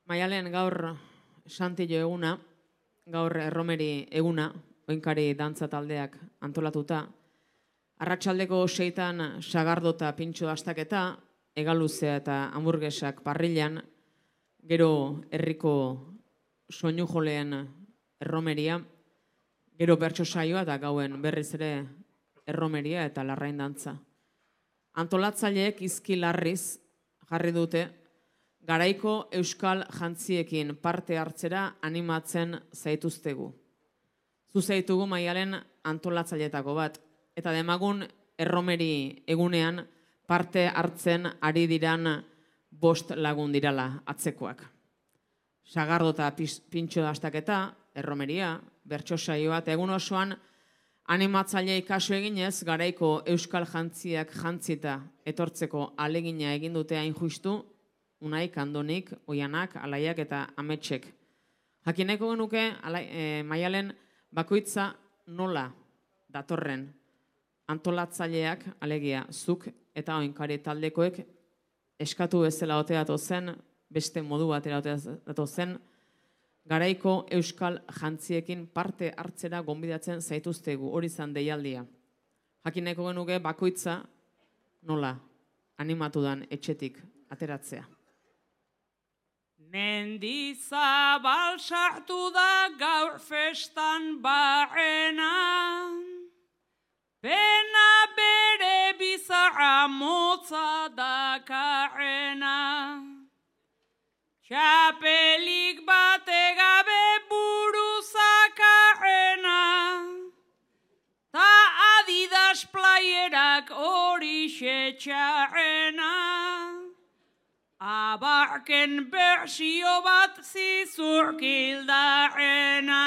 Maialen gaur Santillo eguna, gaur erromeri eguna, oinkari dantza taldeak antolatuta. Arratsaldeko 6 sagardota pintxo astaketa, egaluzea eta hamburguesak parrilan, gero herriko soinu joleen erromeria, gero bertso saioa eta gauen berriz ere erromeria eta larrain dantza. Antolatzaileek izki larriz jarri dute, garaiko euskal jantziekin parte hartzera animatzen zaituztegu. Zuzaitugu Maialen antolatzailetako bat, eta demagun erromeri egunean parte hartzen ari diran 5 lagun dirala atzekoak. Sagardota pintxo astaketa, erromeria, bertso saioa eta egun osoan animatzailei kasu eginez garaiko euskal jantziak jantzita etortzeko alegina egin dute hain justu, Unaik, Andonik, Oianak, Alaiak eta Ametsek. Jakineko genuke Maialen bakoitza nola datorren antolatzaileak, alegia zuk eta oinkari taldekoek eskatu bezala otea zen, beste modu batera otea zen, garaiko euskal jantziekin parte hartzera gonbidatzen zaituztegu, hori zan deialdia. Jakineko genuke bakoitza nola animatu dan etxetik ateratzea. Mendizabal sartu da gaur festan barrena, pena bere bizarra motza dakarrena. Txapelik bate gabe buru zakarrena, ta Adidas playerak horixe txarrena. Abarken bersio bat zizurkildarrena.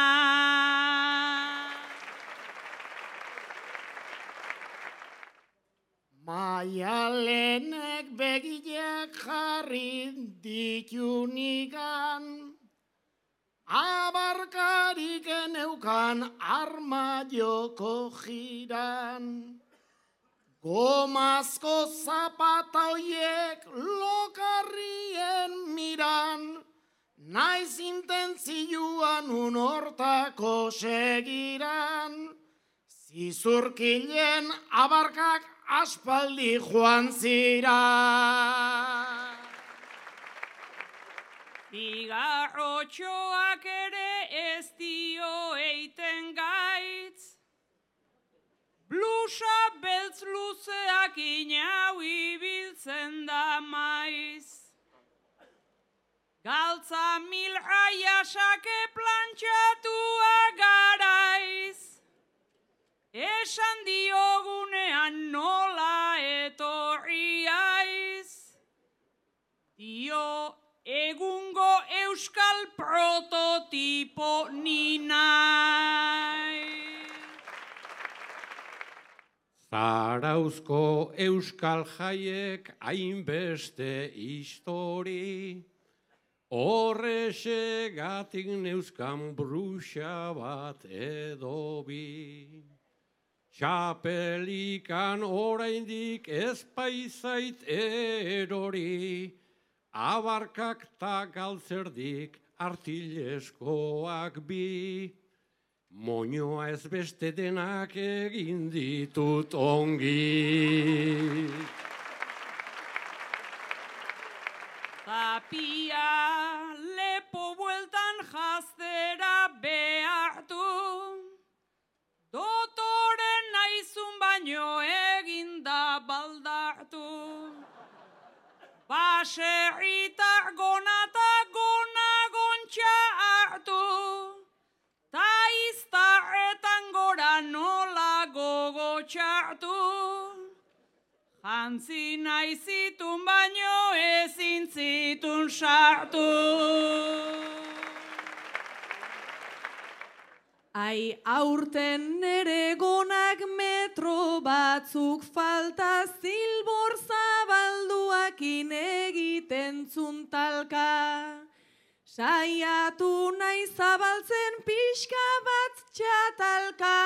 Maialenek begiak jarri ditu nigan, abarkarik eneukan arma joko jiran. Gomazko zapata hoiek lokarrien miran, naiz intentzioan hortako segiran. Zizurkilen abarkak aspaldi joan zira. Bigarrotxoak ere ez dio eiten gaitz, blusa beltz luzeak inau ibiltzen da maiz. Galtza milraia sake plantxatua garaiz, esan diogunean nola etorri aiz. Dio egungo euskal prototipo ni naiz. Zarauzko euskal jaiek hainbeste histori, horrexegatik neuzkan bruxa bat edo bi. Txapelikan oraindik ez paizait erori, abarkak ta galtzerdik artileskoak bi. Moñoa ez beste denak egin ditut ongi. Tapia lepo bueltan jaztera behartu, dotoren naizun baino eginda baldartu. Baserritar gonata gona gontxa hartu, ta iztarretan gora nola gogo txartu. Jantzi nahi zitun baino ezin zitun sartu. Ai aurten nere gonak metro batzuk falta, zilbor zabalduakin egiten zuntalka. Saiatu nahi zabaltzen pixka bat txatalka,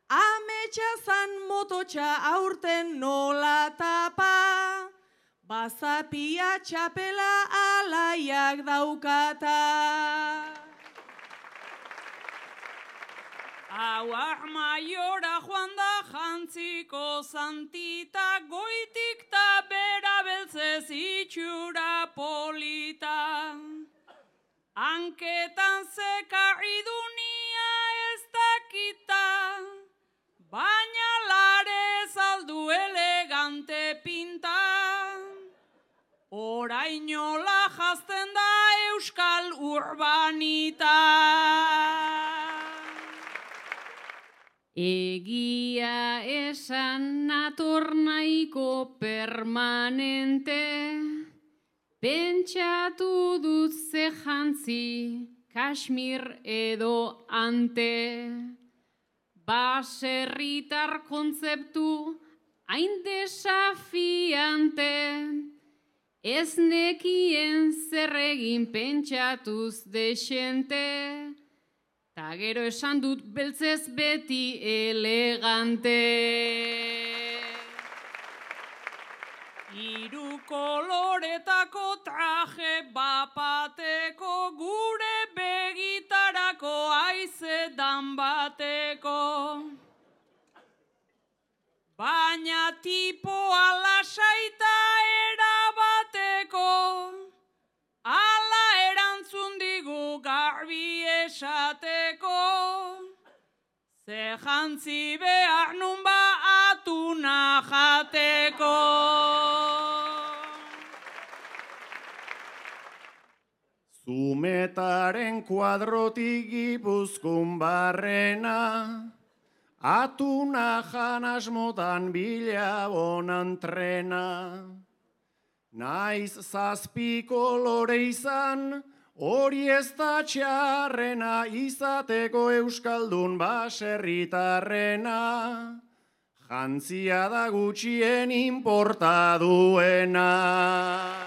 ametsa mototxa aurten nola tapa. Bazapia txapela alaia berak daukata. Hauak maiora joan da jantziko zantita, goitik ta bera beltzez itxura polita. Hanketan zekarri dunia ez dakita, baina lare zaldu elegante pinta. Orainola jazten da euskal urbanita. Egia esan nator nahiko permanente, pentsatu dut ze jantzi, Kashmir edo ante. Baserritar kontzeptu hain desafiante, ez nekien zer egin pentsatuz desente, ta gero esan dut beltzez beti elegante. Hiru koloretako traje bapateko, gure begitarako aizedan bateko. Baina tipoa lasaita erabateko, ala erantzun digu garbi esateko. Ze jantzi behar nun ba atuna jateko. Zumetaren kuadrotik Gipuzkoan barrena, atuna jan asmotan bila bonan trena. Naiz zazpi kolore izan, hori ez da txarrena, izateko euskaldun baserritarrena. Jantzia da gutxien inporta duena.